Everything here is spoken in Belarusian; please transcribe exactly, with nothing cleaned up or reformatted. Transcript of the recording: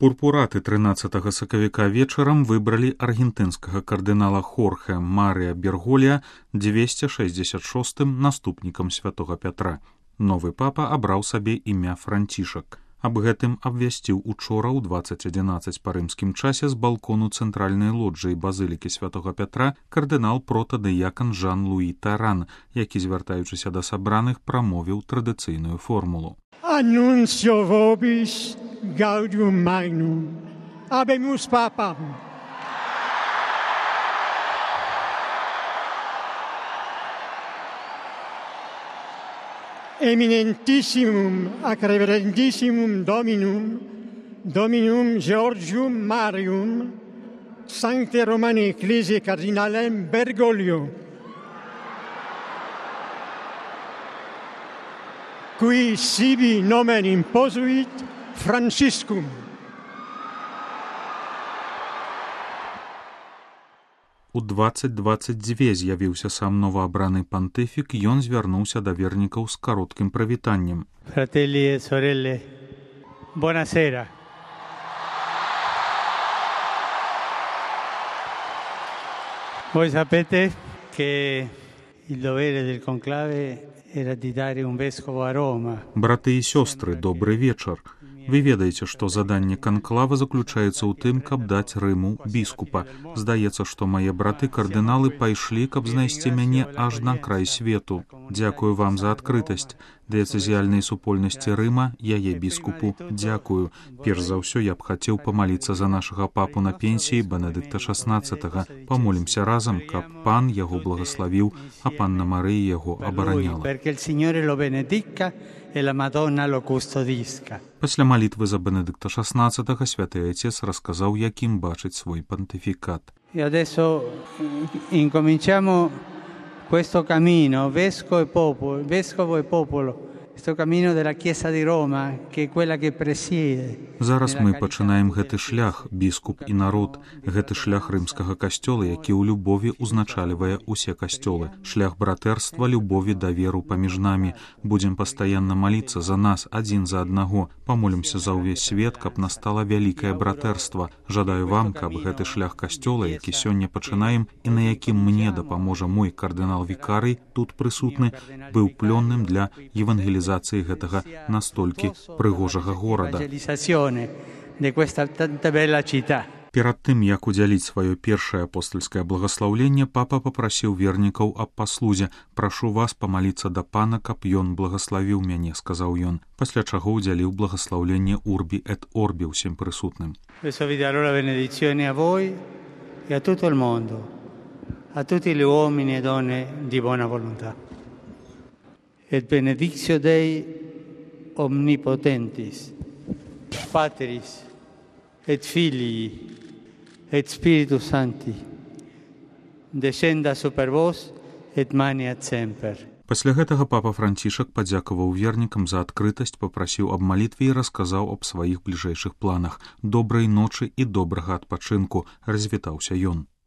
Пурпураты трынаццатага сакавіка вечарам выбралі аргентынскага кардынала Хорхе Марыя Берголія дзвесце шэсцьдзесят шостым наступнікам святога Пятра. Новы папа абраў сабе імя Францішак. Аб гэтым абвясціў учора ў дваццаць адзінаццаць па рымскім часе з балкону цэнтральнай лоджыі базылікі святога Пятра кардынал протадыякан Жан-Луі Таран, які, звяртаючыся да сабраных, прамовіў традыцыйную формулу. Annuncio vobis gaudium magnum, habemus papam. Eminentissimum ac reverendissimum Dominum, Dominum Georgium Marium, Sancte Romani Ecclesiae Cardinalem Bergoglio, qui sibi nomen imposuit Franciscum. У дваццаць дваццаць два з'явіўся сам новаабраны пантыфік, ён звярнуўся да вернікаў з кароткім прывітаннем. Fratelli e sorelle, buonasera. Voi sapete che il dovere del conclave era di dare un vescovo a Roma. Браты і сёстры, добры вечар. Вы ведаеце, што заданне канклава заключаецца ў тым, каб даць Рыму біскупа. Здаецца, што мае браты-кардыналы пайшлі, каб знайсці мяне аж на край свету. Дзякую вам за адкрытасць. Дыяцэзіяльнай супольнасці Рыма, яе біскупу, дзякую. Перш за ўсё я б хацеў памаліцца за нашага папу на пенсіі Бенедыкта шаснаццатага. Памолімся разам, каб пан яго благаславіў, а панна Марыя яго абараняла. Пасля малітвы за Бенедыкта шаснаццатага святы Айцец расказаў, якім бачыць свой пантыфікат. E adesso incominciamo questo cammino, vescovo e popolo, vescovo e popolo, questo cammino della Chiesa di Roma, che è quella che presiede. Зараз мы пачынаем гэты шлях, біскуп і народ, гэты шлях рымскага касцёла, які ў любові узначальвае ўсе касцёлы, шлях братэрства, любові, даверу паміж намі. Будзем пастаянна маліцца за нас адзін за аднаго, памолімся за ўвесь свет, каб настала вялікае братэрства. Жадаю вам, каб гэты шлях касцёла, які сёння пачынаем і на якім мне дапаможа мой кардынал-вікарый, тут прысутны, быў плённым для евангелізацыі гэтага настолькі прыгожага горада. Перад тым, як удзяліць сваё першае апостальскае благаслаўленне, папа папрасіў вернікаў аб паслузе. Прашу вас памаліцца да пана, каб ён благаславіў мяне, сказаў ён, пасля чаго удзяліў благаслаўленне Урбі эт Орбі ўсім прысутным. Adesso vi darò la benedizione a voi e a tutto il mondo, a tutti gli uomini e donne di buona volontà. Et benedictio Dei omnipotentis, Patris et Filii et Spiritus Sancti, descenda super vos et maniat semper. Пасля гэтага папа Францішак падзякаваў вернікам за адкрытасць, папрасіў аб малітве і расказаў аб сваіх бліжэйшых планах. Добрай ночы і добрага адпачынку, развітаўся ён.